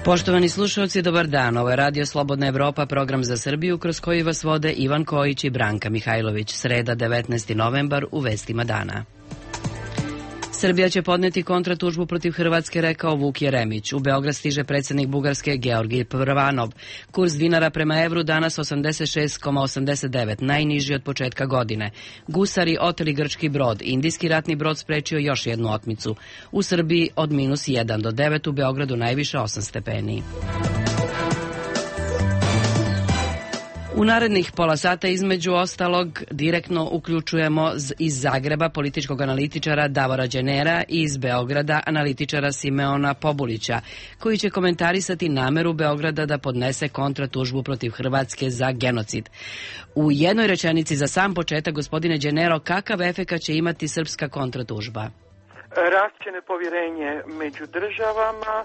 Poštovani slušalci, dobar dan. Ovo je Radio Slobodna Evropa, program za Srbiju kroz koji vas vode Ivan Kojić i Branka Mihajlović. Sreda, 19. novembar, u vestima dana. Srbija će podneti kontratužbu protiv Hrvatske, rekao Vuk Jeremić. U Beograd stiže predsjednik Bugarske Georgij Prvanov. Kurs dinara prema evru danas 86,89, najniži od početka godine. Gusari oteli grčki brod. Indijski ratni brod sprečio još jednu otmicu. U Srbiji od -1 do 9, u Beogradu najviše 8 stepeni. U narednih pola sata između ostalog direktno uključujemo iz Zagreba političkog analitičara Davora Đenera i iz Beograda analitičara Simeona Pobulića, koji će komentarisati nameru Beograda da podnese kontratužbu protiv Hrvatske za genocid. U jednoj rečenici za sam početak, gospodine Đenero, kakav efekat će imati srpska kontratužba? Rašće nepovjerenje među državama,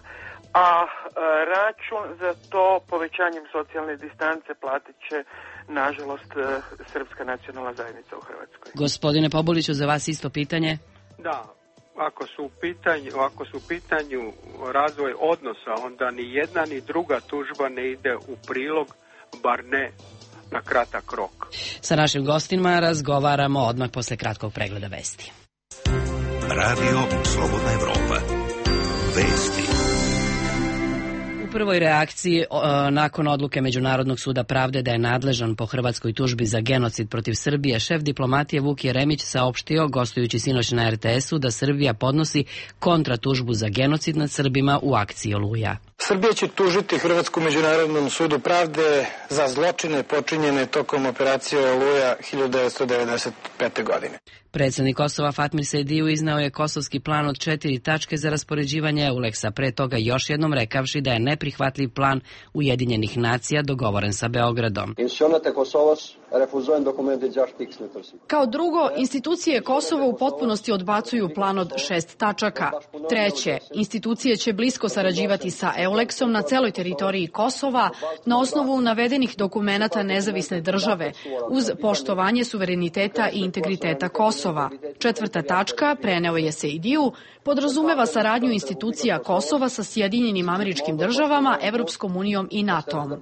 a račun za to povećanjem socijalne distance platit će, nažalost, srpska nacionalna zajednica u Hrvatskoj. Gospodine Pobuliću, za vas isto pitanje? Da, ako su u pitanju razvoj odnosa, onda ni jedna ni druga tužba ne ide u prilog, bar ne na kratak rok. Sa našim gostima razgovaramo odmah posle kratkog pregleda vesti. Radio Slobodna Evropa. Vesti. U prvoj reakciji nakon odluke Međunarodnog suda pravde da je nadležan po hrvatskoj tužbi za genocid protiv Srbije, šef diplomatije Vuk Jeremić saopštio, gostujući sinoć na RTS-u, da Srbija podnosi kontratužbu za genocid nad Srbima u akciji Oluja. Srbija će tužiti Hrvatsku Međunarodnom sudu pravde za zločine počinjene tokom operacije Oluja 1995. godine. Predsjednik Kosova Fatmir Sejdiju iznao je kosovski plan od 4 tačke za raspoređivanje EULEX-a, pre toga još jednom rekavši da je neprihvatljiv plan Ujedinjenih nacija dogovoren sa Beogradom. Kao drugo, institucije Kosova u potpunosti odbacuju plan od 6 tačaka. Treće, institucije će blisko sarađivati sa EULEX-om na celoj teritoriji Kosova na osnovu navedenih dokumenata nezavisne države, uz poštovanje suvereniteta i integriteta Kosova. Četvrta tačka, preneo je Sejdiju, podrazumeva saradnju institucija Kosova sa Sjedinjenim Američkim Državama, Evropskom unijom i NATO-om.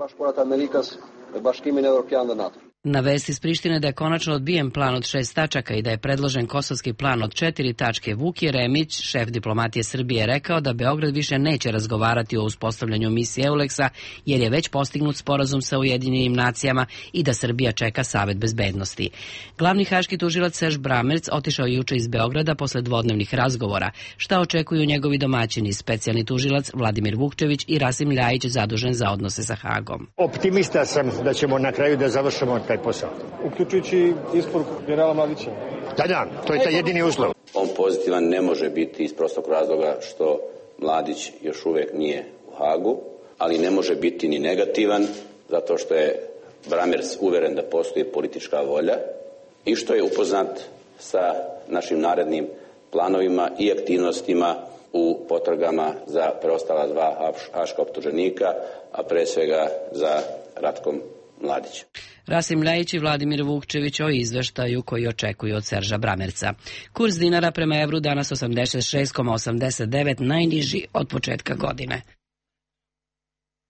Na vesti iz Prištine da je konačno odbijen plan od 6 tačaka i da je predložen kosovski plan od 4 tačke, Vuk Jeremić, šef diplomatije Srbije, rekao da Beograd više neće razgovarati o uspostavljanju misije EULEX-a jer je već postignut sporazum sa Ujedinjenim nacijama i da Srbija čeka Savet bezbednosti. Glavni haški tužilac Serž Bramerc otišao juče iz Beograda posle dvodnevnih razgovora. Šta očekuju njegovi domaćini, specijalni tužilac Vladimir Vukčević i Rasim Ljajić, zadužen za odnose sa Hagom? Optimista sam da ćemo na kraju da završimo taj posao. Uključujući isporuku generala Mladića. Da, to je taj jedini uslov. On pozitivan ne može biti iz prostog razloga što Mladić još uvijek nije u Hagu, ali ne može biti ni negativan zato što je Bramerc uveren da postoji politička volja i što je upoznat sa našim narednim planovima i aktivnostima u potragama za preostala 2 haška optuženika, a pre svega za Ratkom Mladićem. Rasim Ljajić i Vladimir Vukčević o izveštaju koji očekuju od Serža Bramerca. Kurs dinara prema evru danas 86,89, najniži od početka godine.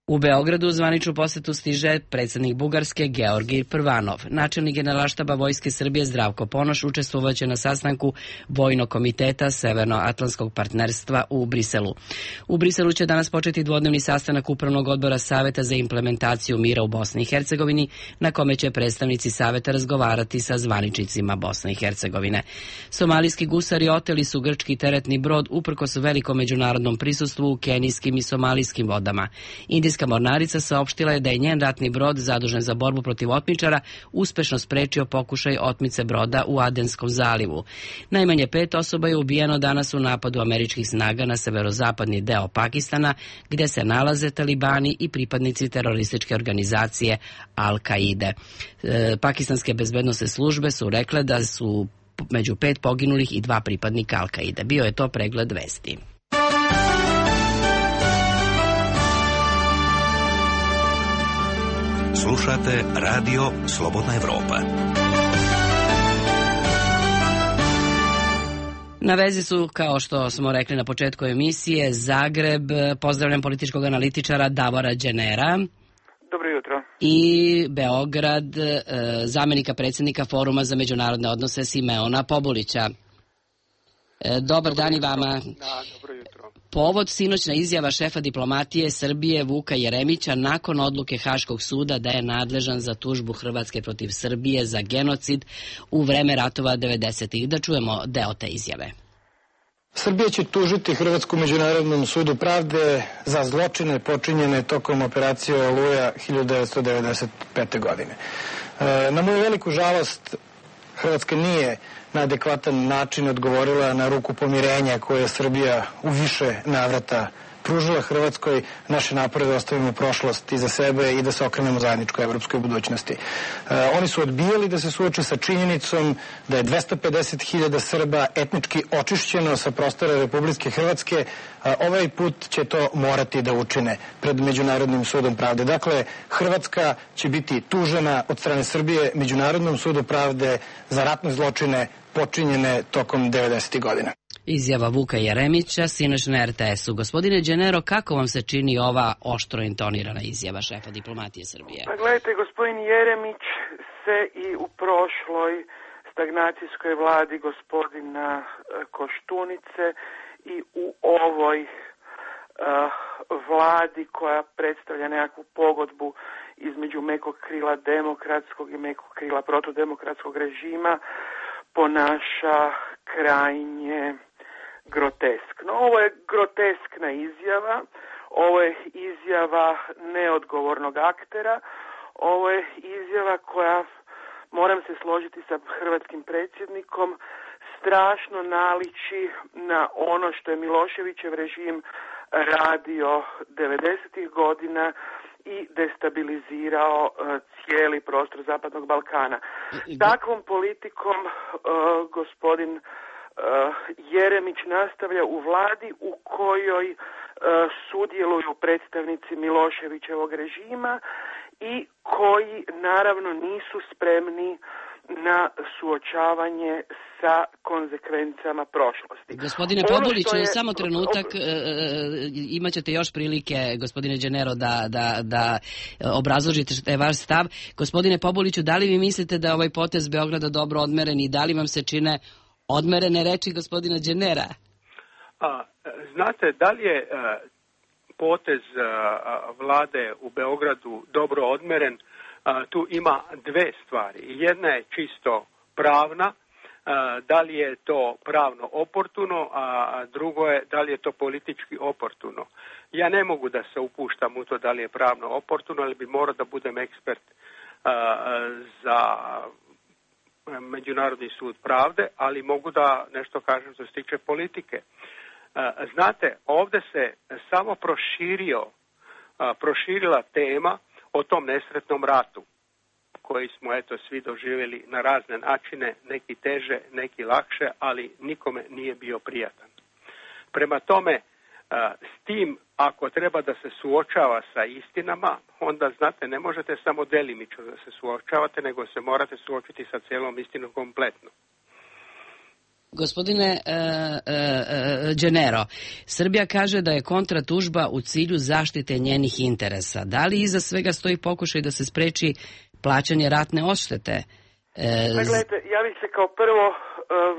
U Beogradu u zvaničnu posetu stiže predsjednik Bugarske Georgij Prvanov. Načelnik Generalštaba Vojske Srbije Zdravko Ponoš učestvovaće na sastanku Vojnog komiteta Severnoatlantskog partnerstva u Briselu. U Briselu će danas početi dvodnevni sastanak Upravnog odbora Saveta za implementaciju mira u Bosni i Hercegovini, na kome će predstavnici Saveta razgovarati sa zvaničnicima Bosne i Hercegovine. Somalijski gusari oteli su grčki teretni brod uprkos velikom međunarodnom prisustvu u kenijskim i somalijskim vodama. Indijska mornarica saopštila je da je njen ratni brod zadužen za borbu protiv otmičara uspešno sprečio pokušaj otmice broda u Adenskom zalivu. Najmanje 5 osoba je ubijeno danas u napadu američkih snaga na severozapadni deo Pakistana, gde se nalaze talibani i pripadnici terorističke organizacije Al-Kaide. Pakistanske bezbednosne službe su rekle da su među 5 poginulih i 2 pripadnika Al-Kaide. Bio je to pregled vesti. Slušate Radio Slobodna Evropa. Na vezi su, kao što smo rekli na početku emisije, Zagreb. Pozdravljam političkog analitičara Davora Đenera. Dobro jutro. I Beograd, zamenika predsjednika Foruma za međunarodne odnose Simeona Pobulića. Dobar dan i vama. Da, dobro jutro. Povod sinoćna izjava šefa diplomatije Srbije Vuka Jeremića nakon odluke Haškog suda da je nadležan za tužbu Hrvatske protiv Srbije za genocid u vreme ratova 90-ih. Da čujemo deo te izjave. Srbija će tužiti Hrvatsku međunarodnom sudu pravde za zločine počinjene tokom operacije Oluja 1995. godine. Na moju veliku žalost, Hrvatska nije na adekvatan način odgovorila na ruku pomirenja koje je Srbija u više navrata pružila Hrvatskoj. Naše napore da ostavimo prošlost iza sebe i da se okrenemo zajedničkoj evropskoj budućnosti. Oni su odbijali da se suoče sa činjenicom da je 250.000 Srba etnički očišćeno sa prostora Republike Hrvatske. Ovaj put će to morati da učine pred Međunarodnim sudom pravde. Dakle, Hrvatska će biti tužena od strane Srbije Međunarodnom sudu pravde za ratne zločine počinjene tokom 90. godina. Izjava Vuka Jeremića, sinoć na RTS-u. Gospodine Đenero, kako vam se čini ova oštro intonirana izjava šefa diplomatije Srbije? Pa gledajte, gospodin Jeremić se i u prošloj stagnacijskoj vladi gospodina Koštunice i u ovoj vladi koja predstavlja nekakvu pogodbu između mekog krila demokratskog i mekog krila protudemokratskog režima ponaša krajnje groteskno. Ovo je groteskna izjava, ovo je izjava neodgovornog aktera, ovo je izjava koja, moram se složiti sa hrvatskim predsjednikom, strašno naliči na ono što je Miloševićev režim radio 90. godina i destabilizirao cijeli prostor Zapadnog Balkana. Takvom politikom gospodin Jeremić nastavlja u vladi u kojoj sudjeluju predstavnici Miloševićevog režima i koji naravno nisu spremni na suočavanje sa konzekvencama prošlosti. Gospodine Pobuliću, samo trenutak, imat ćete još prilike, gospodine Đenero, da obrazložite vaš stav. Gospodine Pobuliću, da li vi mislite da je ovaj potez Beograda dobro odmeren i da li vam se čine odmerene reči gospodina Đenera? Znate, da li je potez vlade u Beogradu dobro odmeren? Tu ima dve stvari. Jedna je čisto pravna, da li je to pravno oportuno, a drugo je da li je to politički oportuno. Ja ne mogu da se upuštam u to da li je pravno oportuno, ali bi morao da budem ekspert za Međunarodni sud pravde, ali mogu da nešto kažem što se tiče politike. Znate, ovdje se samo proširila tema o tom nesretnom ratu koji smo svi doživjeli na razne načine, neki teže, neki lakše, ali nikome nije bio prijatan. Prema tome, s tim, ako treba da se suočava sa istinama, onda, znate, ne možete samo delimično da se suočavate, nego se morate suočiti sa cijelom istinom kompletno. Gospodine Đenero, Srbija kaže da je kontratužba u cilju zaštite njenih interesa. Da li iza svega stoji pokušaj da se spreči plaćanje ratne odštete? Gledajte, ja bih se kao prvo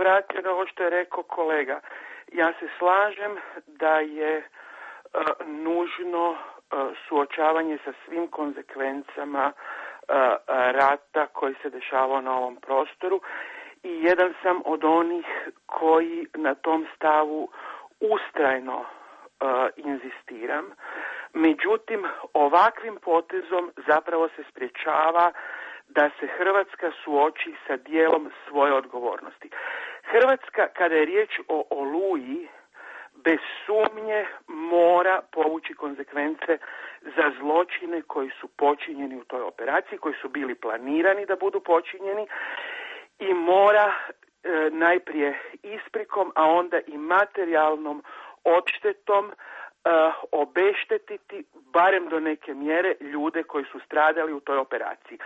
vratio na ovo što je rekao kolega. Ja se slažem da je nužno suočavanje sa svim konzekvencama rata koji se dešavao na ovom prostoru i jedan sam od onih koji na tom stavu ustrajno inzistiram. Međutim, ovakvim potezom zapravo se sprječava da se Hrvatska suoči sa dijelom svoje odgovornosti. Hrvatska, kada je riječ o Oluji, bez sumnje mora povući konzekvence za zločine koji su počinjeni u toj operaciji, koji su bili planirani da budu počinjeni i mora najprije isprikom, a onda i materijalnom odštetom obeštetiti barem do neke mjere ljude koji su stradali u toj operaciji.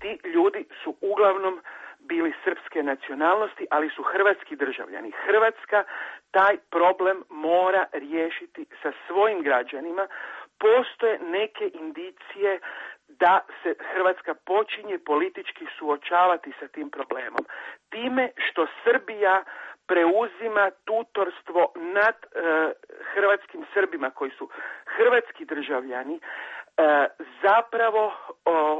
Ti ljudi su uglavnom bili srpske nacionalnosti, ali su hrvatski državljani. Hrvatska taj problem mora riješiti sa svojim građanima. Postoje neke indicije da se Hrvatska počinje politički suočavati sa tim problemom. Time što Srbija preuzima tutorstvo nad hrvatskim Srbima koji su hrvatski državljani, zapravo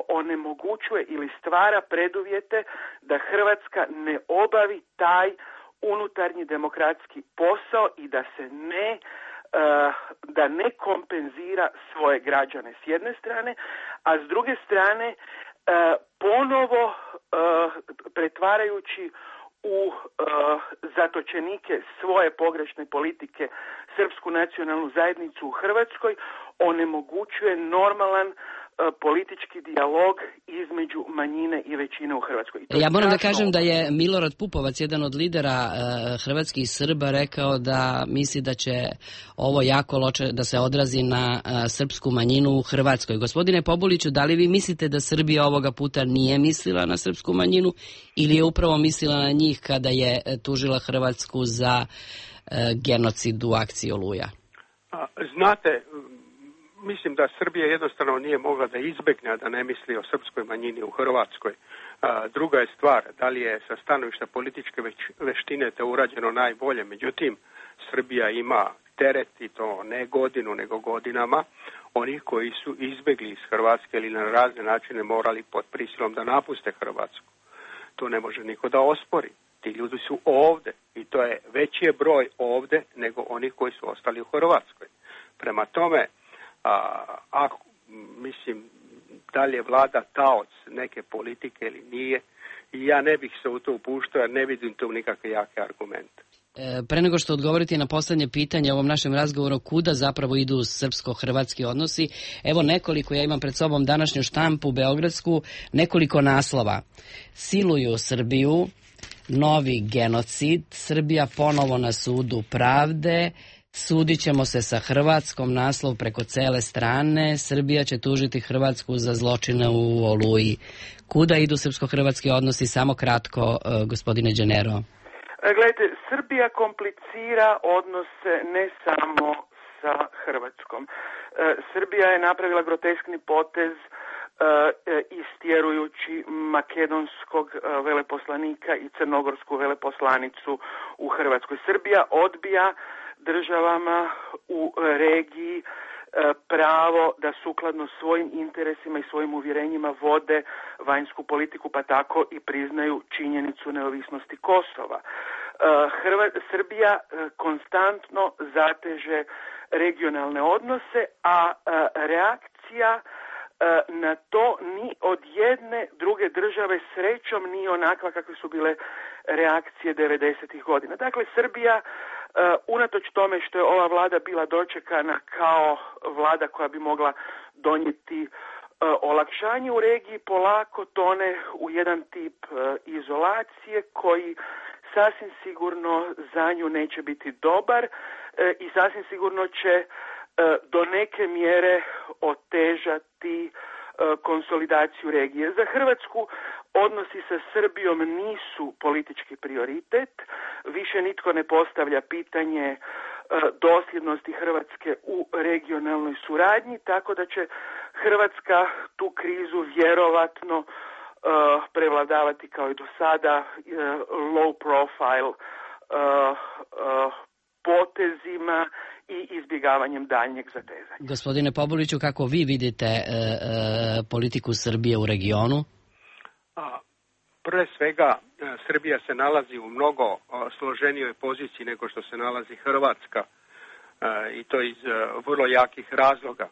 onemogućuje ili stvara preduvjete da Hrvatska ne obavi taj unutarnji demokratski posao i da ne kompenzira svoje građane s jedne strane, a s druge strane ponovo pretvarajući u zatočenike svoje pogrešne politike srpsku nacionalnu zajednicu u Hrvatskoj, onemogućuje normalan politički dijalog između manjine i većine u Hrvatskoj. Ja moram da kažem da je Milorad Pupovac, jedan od lidera hrvatskih Srba, rekao da misli da će ovo jako loše da se odrazi na srpsku manjinu u Hrvatskoj. Gospodine Pobuliću, da li vi mislite da Srbija ovoga puta nije mislila na srpsku manjinu ili je upravo mislila na njih kada je tužila Hrvatsku za genocid u akciji Oluja? Znate, mislim da Srbija jednostavno nije mogla da izbegne da ne misli o srpskoj manjini u Hrvatskoj. Druga je stvar, da li je sa stanovišta političke veštine to urađeno najbolje. Međutim, Srbija ima teret, i to ne godinu, nego godinama, onih koji su izbegli iz Hrvatske ili na razne načine morali pod prisilom da napuste Hrvatsku. To ne može niko da ospori. Ti ljudi su ovde i to je veći je broj ovde nego onih koji su ostali u Hrvatskoj. Prema tome, mislim, da li je vlada taoc neke politike ili nije, i ja ne bih se u to upuštao jer ne vidim tu nikakve jake argumente. Pre nego što odgovorite na poslednje pitanje u ovom našem razgovoru, kuda zapravo idu srpsko-hrvatski odnosi, evo nekoliko, ja imam pred sobom današnju štampu beogradsku, nekoliko naslova. Siluju Srbiju, novi genocid, Srbija ponovo na sudu pravde, sudit ćemo se sa Hrvatskom, naslov preko cele strane, Srbija će tužiti Hrvatsku za zločine u Oluji. Kuda idu srpsko-hrvatski odnosi? Samo kratko, gospodine Đenero. Gledajte, Srbija komplicira odnose ne samo sa Hrvatskom. Srbija je napravila groteskni potez istjerujući makedonskog veleposlanika i crnogorsku veleposlanicu u Hrvatskoj. Srbija odbija državama u regiji pravo da sukladno svojim interesima i svojim uvjerenjima vode vanjsku politiku, pa tako i priznaju činjenicu neovisnosti Kosova. Srbija konstantno zateže regionalne odnose, a reakcija na to ni od jedne druge države srećom nije onakva kakve su bile reakcije 90-ih godina. Dakle, Srbija, unatoč tome što je ova vlada bila dočekana kao vlada koja bi mogla donijeti olakšanje u regiji, polako tone u jedan tip izolacije koji sasvim sigurno za nju neće biti dobar i sasvim sigurno će do neke mjere otežati konsolidaciju regije. Za Hrvatsku odnosi sa Srbijom nisu politički prioritet, više nitko ne postavlja pitanje dosljednosti Hrvatske u regionalnoj suradnji, tako da će Hrvatska tu krizu vjerovatno prevladavati kao i do sada low profile potezima i izbjegavanjem daljnjeg zatezanja. Gospodine Pobuliću, kako vi vidite politiku Srbije u regionu? Prve svega, Srbija se nalazi u mnogo složenijoj poziciji nego što se nalazi Hrvatska, i to iz vrlo jakih razloga.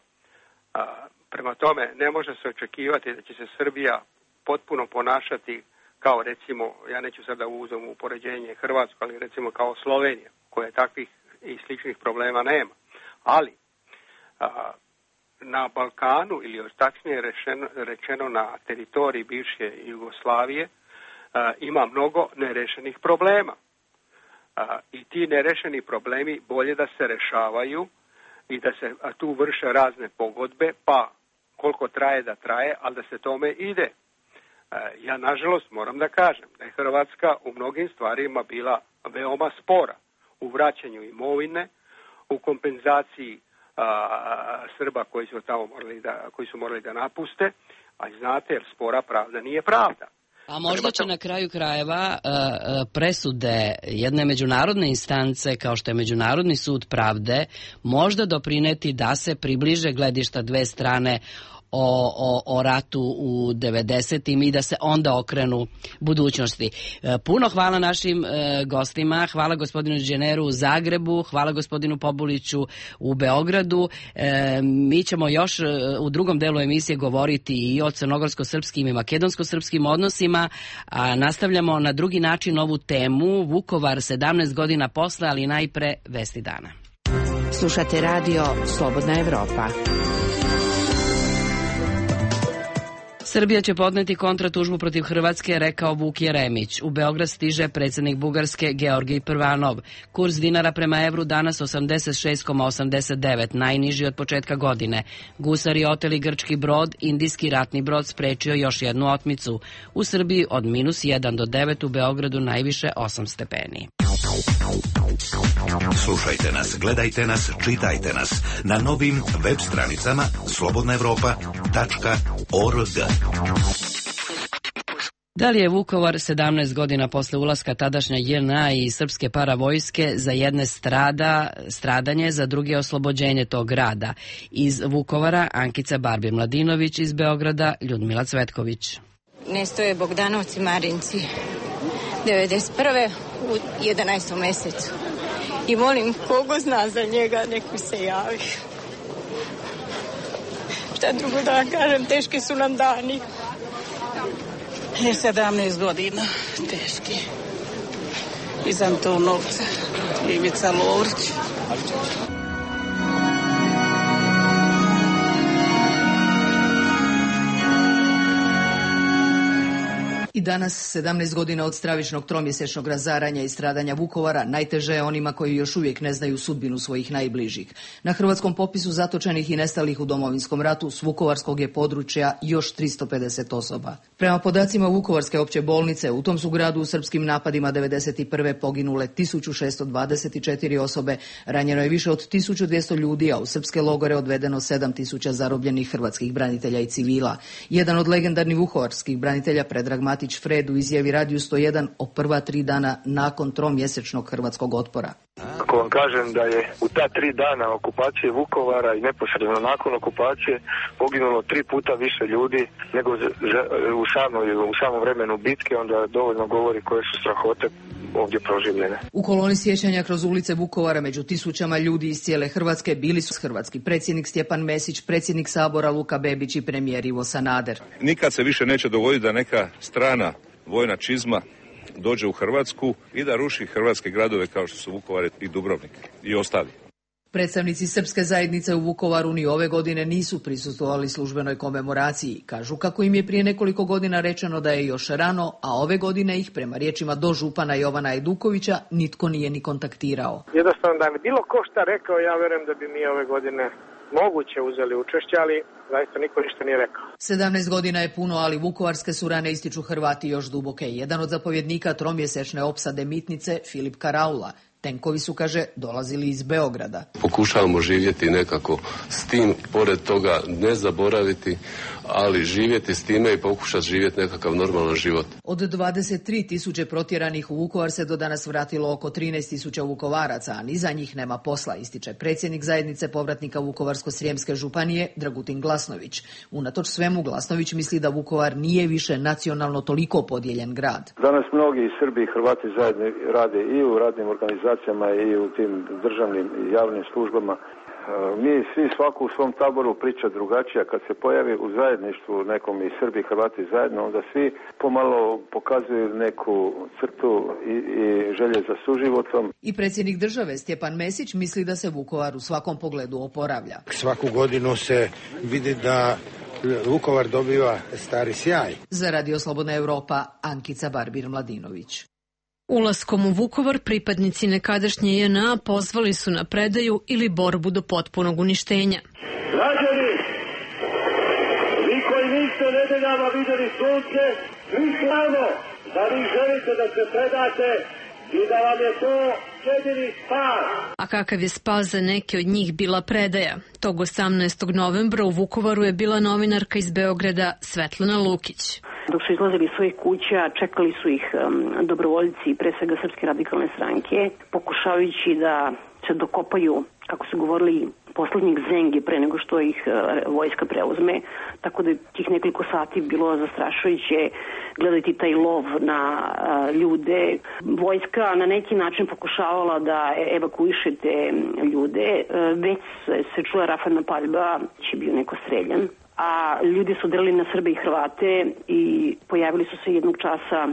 Prema tome, ne može se očekivati da će se Srbija potpuno ponašati kao, recimo, ja neću sada uzeti u poređenje Hrvatsku, ali recimo kao Slovenija, koja takvih i sličnih problema nema. Ali na Balkanu, ili tačnije rečeno na teritoriji bivše Jugoslavije, ima mnogo nerešenih problema. I ti nerešeni problemi bolje da se rešavaju i da se tu vrše razne pogodbe, pa koliko traje da traje, ali da se tome ide. Ja nažalost moram da kažem da je Hrvatska u mnogim stvarima bila veoma spora u vraćanju imovine, u kompenzaciji Srba koji su morali da napuste, a znate, jer spora pravda nije pravda. A možda će na kraju krajeva presude jedne međunarodne instance kao što je Međunarodni sud pravde možda doprineti da se približe gledišta dve strane o ratu u 90-im i da se onda okrenu budućnosti. Puno hvala našim gostima, hvala gospodinu Đeneru u Zagrebu, hvala gospodinu Pobuliću u Beogradu. Mi ćemo još u drugom delu emisije govoriti i o crnogorsko-srpskim i makedonsko-srpskim odnosima, a nastavljamo na drugi način ovu temu. Vukovar 17 godina posle, ali najpre vesti dana. Slušate radio Slobodna Evropa. Srbija će podneti kontratužbu protiv Hrvatske, rekao Vuk Jeremić. U Beograd stiže predsjednik Bugarske Georgij Prvanov. Kurs dinara prema evru danas 86,89, najniži od početka godine. Gusari oteli grčki brod, indijski ratni brod sprečio još jednu otmicu. U Srbiji od -1 do 9, u Beogradu najviše 8 stepeni. Slušajte nas, gledajte nas, čitajte nas na novim web stranicama slobodnaevropa.org. Da li je Vukovar 17 godina posle ulaska tadašnja JNA i srpske paravojske za jedne stradanje, za druge oslobođenje tog grada? Iz Vukovara Ankica Barbir-Mladinović, iz Beograda Ljudmila Cvetković. Nestoje Bogdanovci Marinci 91. u 11. mesecu. I molim kogo zna za njega, nek mi se javi. Šta drugo da vam kažem, teški su nam dani. 17 godina, teški. Iz Antonovca, Ivica Lovrić. I danas, 17 godina od stravičnog tromjesečnog razaranja i stradanja Vukovara, najteže je onima koji još uvijek ne znaju sudbinu svojih najbližih. Na hrvatskom popisu zatočenih i nestalih u Domovinskom ratu s vukovarskog je područja još 350 osoba. Prema podacima Vukovarske opće bolnice, u tom su gradu u srpskim napadima 91. poginule 1624 osobe, ranjeno je više od 1200 ljudi, a u srpske logore odvedeno 7000 zarobljenih hrvatskih branitelja i civila. Jedan od legendarnih vukovarskih branitelja, Predrag Matić Fred, u izjavi Radiju 101 o prva 3 dana nakon tromjesečnog hrvatskog otpora. Ako vam kažem da je u ta 3 dana okupacije Vukovara i neposredno nakon okupacije poginulo 3 puta više ljudi nego u samom vremenu bitke, onda dovoljno govori koje su strahote ovdje proživljene. U koloni sjećanja kroz ulice Vukovara među tisućama ljudi iz cijele Hrvatske bili su hrvatski predsjednik Stjepan Mesić, predsjednik Sabora Luka Bebić i premijer Ivo Sanader. Nikad se više neće dogoditi da neka strana vojna čizma dođe u Hrvatsku i da ruši hrvatske gradove kao što su Vukovar i Dubrovnik i ostali. Predstavnici srpske zajednice u Vukovaru ni ove godine nisu prisustvovali službenoj komemoraciji. Kažu kako im je prije nekoliko godina rečeno da je još rano, a ove godine ih, prema riječima dožupana Jovana Ajdukovića, nitko nije ni kontaktirao. Jednostavno da mi bilo ko šta rekao, ja verujem da bi mi ove godine moguće uzeli učešće, ali zaista niko ništa nije rekao. 17 godina je puno, ali vukovarske su rane ističu Hrvati još duboke. Jedan od zapovjednika tromjesečne opsade Mitnice, Filip Karaula. Tenkovi su, kaže, dolazili iz Beograda. Pokušavamo živjeti nekako s tim, pored toga ne zaboraviti, ali živjeti s time i pokušati živjeti nekakav normalan život. Od 23.000 protjeranih u Vukovar se do danas vratilo oko 13.000 Vukovaraca, a ni za njih nema posla, ističe predsjednik zajednice povratnika Vukovarsko-srijemske županije Dragutin Glasnović. Unatoč svemu, Glasnović misli da Vukovar nije više nacionalno toliko podijeljen grad. Danas mnogi Srbi i Hrvati zajedno rade i u radnim organizacijama i u tim državnim i javnim službama. Mi svi svako u svom taboru priča drugačija. Kad se pojavi u zajedništvu nekom i Srbi i Hrvati zajedno, onda svi pomalo pokazuju neku crtu i želje za suživotom. I predsjednik države Stjepan Mesić misli da se Vukovar u svakom pogledu oporavlja. Svaku godinu se vidi da Vukovar dobiva stari sjaj. Za Radio Slobodna Evropa, Ankica Barbir-Mladinović. Ulaskom u Vukovar pripadnici nekadašnje JNA pozvali su na predaju ili borbu do potpunog uništenja. Građani, vi koji niste nedeljama vidjeli sunce, Mi znamo da vi želite da se predate i da vam je to jedini spas. A kakav je spas za neke od njih bila predaja? Tog 18. novembra u Vukovaru je bila novinarka iz Beograda Svetlana Lukić. Dok su izlazili iz svojih kuća, čekali su ih dobrovoljci, pre svega Srpske radikalne stranke, pokušavajući da se dokopaju, kako su govorili, poslednjeg zengi pre nego što ih vojska preuzme, tako da je tih nekoliko sati bilo zastrašujuće gledati taj lov na ljude. Vojska na neki način pokušavala da evakuiše te ljude, već se čula rafalna paljba, će bio neko streljan, a ljudi su delili na Srbe i Hrvate i pojavili su se jednog časa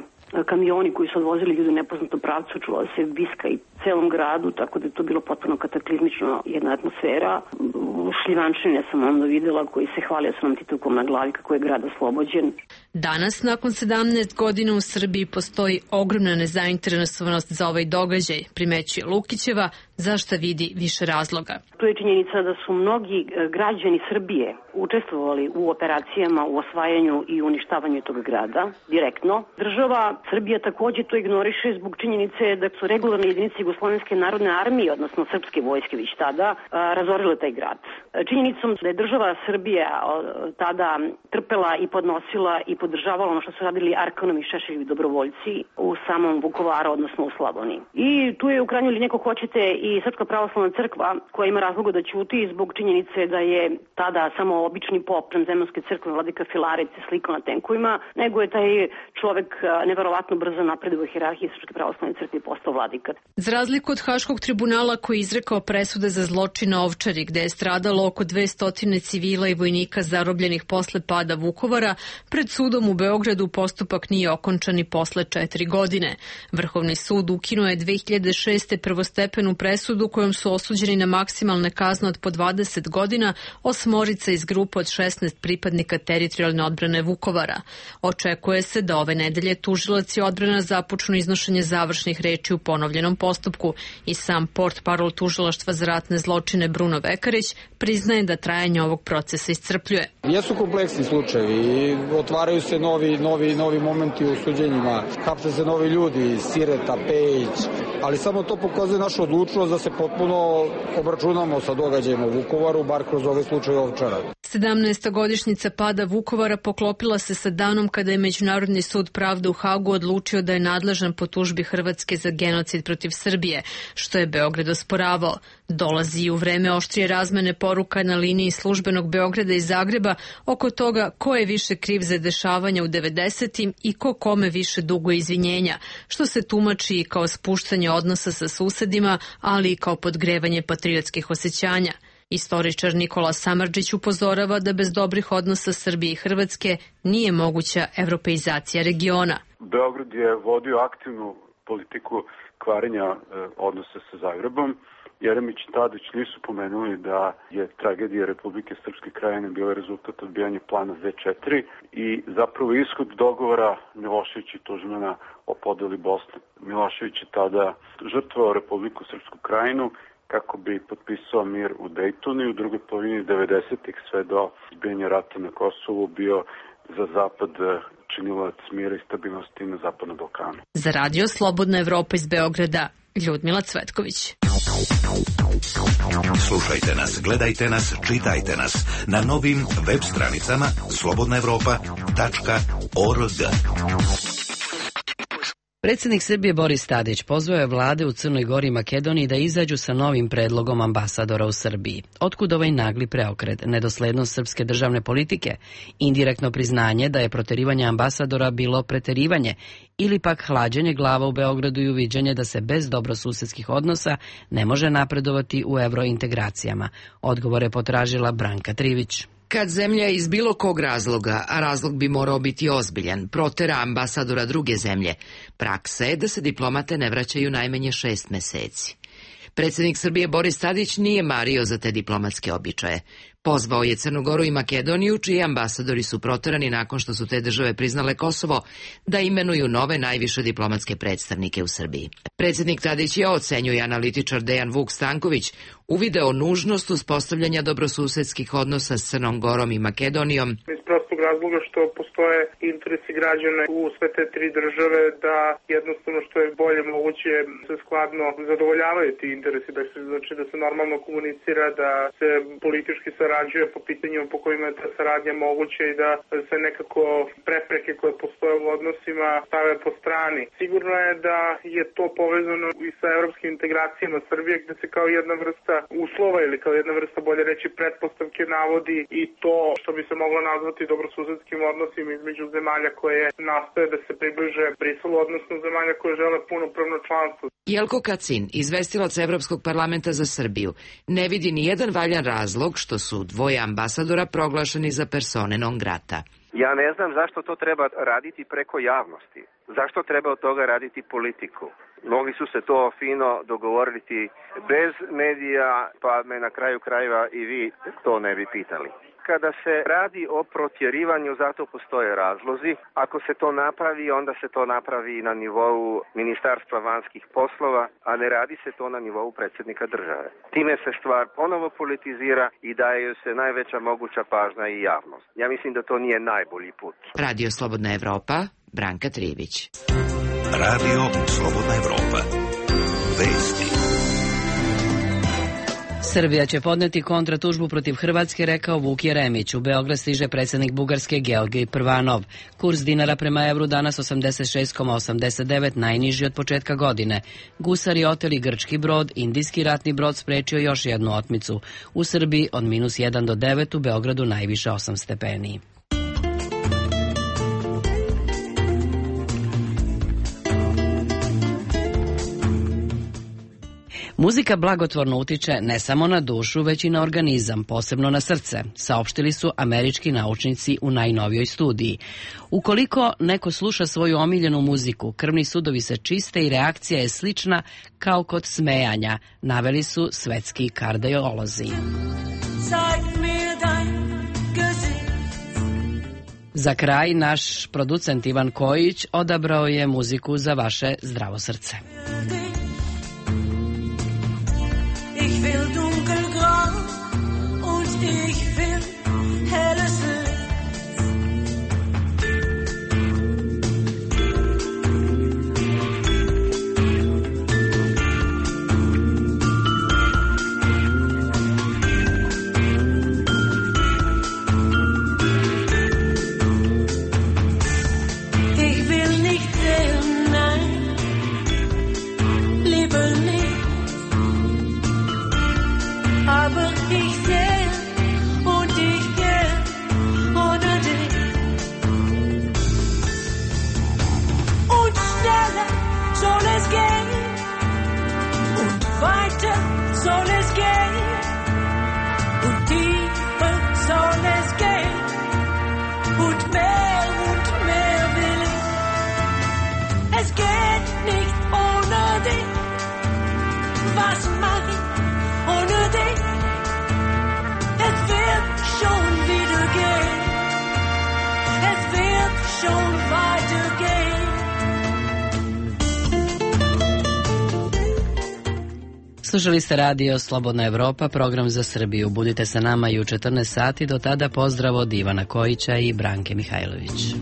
kamioni koji su odvozili ljude u nepoznatom pravcu, čula se viska i celom gradu, tako da je to bilo potpuno kataklizmično jedna atmosfera. Šljivančine sam onda videla koji se hvalio sa nam titulkom na glavi kako je grad oslobođen. Danas, nakon 17 godina u Srbiji, postoji ogromna nezainteresovanost za ovaj događaj, primećuje Lukićeva, za šta vidi više razloga. To je činjenica da su mnogi građani Srbije učestvovali u operacijama, u osvajanju i uništavanju tog grada, direktno. Država Srbija takođe to ignoriše zbog činjenice da su regularne jedinice Jugoslovenske narodne armije, odnosno srpske vojske već tada, razorile taj grad. Činjenicom da je država Srbija tada trpela i podnosila i podržavala ono što su radili Arkanov i Šešeljevi dobrovoljci u samom Vukovaru, odnosno u Slavoniji. I tu je u krajnjoj liniji, ako hoćete, i Srpska pravoslavna crkva koja ima razloga da ćuti zbog činjenice da je tada samo obični pop Zemljanske crkve vladika Filarec slikao na tenkovima, nego je taj čovek neverovatno brzo napredovao u hijerarhiji Srpske pravoslavne crkve i postao vladika. Za razliku od Haškog tribunala koji je izrekao presude za zločin na Ovčari, gde je stradalo oko 200 civila i vojnika zarobljenih posle pada Vukovara, pred sudom u Beogradu postupak nije okončan i posle 4 godine. Vrhovni sud ukinuo je 2006. prvostepenu presudu kojom su osuđeni na maksimalne kazne od po 20 godina 8 iz grupe od 16 pripadnika teritorijalne odbrane Vukovara. Očekuje se da ove nedelje tužilac i odbrana započnu iznošenje završnih reči u ponovljenom postupku i sam portparol tužilaštva za ratne zločine Bruno Vekarić priznaje da trajanje ovog procesa iscrpljuje. Jesu kompleksni slučajevi i otvaraju se novi momenti u suđenjima, hapse se novi ljudi, Sireta, Pejić, ali samo to pokazuje našu odlučnost da se potpuno obračunamo sa događajima u Vukovaru, bar kroz ove slučaje Ovčara. 17. godišnjica pada Vukovara poklopila se sa danom kada je Međunarodni sud pravde u Hagu odlučio da je nadležan po tužbi Hrvatske za genocid protiv Srbije, što je Beograd osporavao. Dolazi i u vreme oštrije razmene poruka na liniji službenog Beograda i Zagreba oko toga ko je više kriv za dešavanja u 90-im i ko kome više duguje izvinjenja, što se tumači i kao spuštanje odnosa sa susedima, ali i kao podgrevanje patriotskih osjećanja. Istoričar Nikola Samardžić upozorava da bez dobrih odnosa Srbije i Hrvatske nije moguća evropeizacija regiona. Beograd je vodio aktivnu politiku kvarenja odnosa sa Zagrebom. Jeremić i Tadić nisu pomenuli da je tragedija Republike Srpske Krajine bila rezultat odbijanja plana Z4 i zapravo ishod dogovora Milošević i Tuđmana o podeli Bosne. Milošević je tada žrtvovao Republiku Srpsku Krajinu kako bi potpisao mir u Dejtonu i u drugoj polovini 90-ih sve do izbijanja rata na Kosovu bio za Zapad činilac mira i stabilnosti na Zapadnom Balkanu. Za radio Slobodna Evropa iz Beograda, Ljudmila Cvetković. Slušajte nas, gledajte nas, čitajte nas na novim web stranicama slobodnaevropa.org. Predsjednik Srbije Boris Tadić pozvao je vlade u Crnoj Gori i Makedoniji da izađu sa novim predlogom ambasadora u Srbiji. Otkud ovaj nagli preokret? Nedoslednost srpske državne politike? Indirektno priznanje da je proterivanje ambasadora bilo preterivanje ili pak hlađenje glava u Beogradu i uviđanje da se bez dobrosusedskih odnosa ne može napredovati u evrointegracijama? Odgovor je potražila Branka Trivić. Kad zemlja iz bilo kog razloga, a razlog bi morao biti ozbiljan, protera ambasadora druge zemlje, praksa je da se diplomate ne vraćaju najmanje 6 meseci. Predsjednik Srbije Boris Tadić nije mario za te diplomatske običaje. Pozvao je Crnu Goru i Makedoniju, čiji ambasadori su proterani nakon što su te države priznale Kosovo, da imenuju nove najviše diplomatske predstavnike u Srbiji. Predsjednik Tadić je, ocenjuje analitičar Dejan Vuk Stanković, uvideo nužnost uspostavljanja dobrosusedskih odnosa s Crnom Gorom i Makedonijom. Iz prostog razloga što postoje interesi građana u sve te tri države da jednostavno što je bolje moguće se skladno zadovoljavaju ti interesi, znači da se normalno komunicira, da se politički sarađuje po pitanjima po kojima je ta saradnja moguća i da se nekako prepreke koje postoje u odnosima stave po strani. Sigurno je da je to povezano i sa evropskim integracijama Srbije, gde se kao jedna vrsta uslova ili kao jedna vrsta, bolje reći, pretpostavke navodi i to što bi se moglo nazvati dobrosusedskim odnosima između zemalja koje nastoje da se približe Briselu, odnosno zemalja koje žele punopravno članstvo. Jelko Kacin, izvestilac Evropskog parlamenta za Srbiju, ne vidi ni jedan valjan razlog što su dvoje ambasadora proglašeni za persone non grata. Ja ne znam zašto to treba raditi preko javnosti. Zašto treba od toga raditi politiku? Mogli su se to fino dogovoriti bez medija, pa me na kraju krajeva i vi to ne bi pitali. Kada se radi o protjerivanju, zato postoje razlozi. Ako se to napravi, onda se to napravi na nivou Ministarstva vanjskih poslova, a ne radi se to na nivou predsjednika države. Time se stvar ponovo politizira i daje se najveća moguća pažnja i javnost. Ja mislim da to nije najbolji put. Radio Slobodna Evropa, Branka Trijević. Radio Slobodna Evropa. Vesti. Srbija će podneti kontratužbu protiv Hrvatske, rekao Vuk Jeremić. U Beograd stiže predsjednik Bugarske Georgij Prvanov. Kurs dinara prema evru danas 86,89, najniži od početka godine. Gusari oteli grčki brod, indijski ratni brod sprečio još jednu otmicu. U Srbiji od -1 do 9, u Beogradu najviše 8 stepeni. Muzika blagotvorno utiče ne samo na dušu, već i na organizam, posebno na srce, saopštili su američki naučnici u najnovijoj studiji. Ukoliko neko sluša svoju omiljenu muziku, krvni sudovi se čiste i reakcija je slična kao kod smejanja, naveli su svetski kardiolozi. Za kraj, naš producent Ivan Kojić odabrao je muziku za vaše zdravo srce. Ich will dunkelgrau und ich will helles Licht. Ich will nicht sehen, nein, lieber nicht. Aber ich sehe und ich gehe ohne dich. Und schneller soll es gehen und weiter soll es gehen und tiefer soll es gehen und mehr will ich. Es geht nicht ohne dich. Was mach ich ohne dich? Es wird schon wieder gehen. Es wird schon weitergehen. Slušali ste radio Slobodna Evropa, program za Srbiju. Budite sa nama i u 14 sati. Do tada pozdrav od Ivana Kojića i Branke Mihajlović.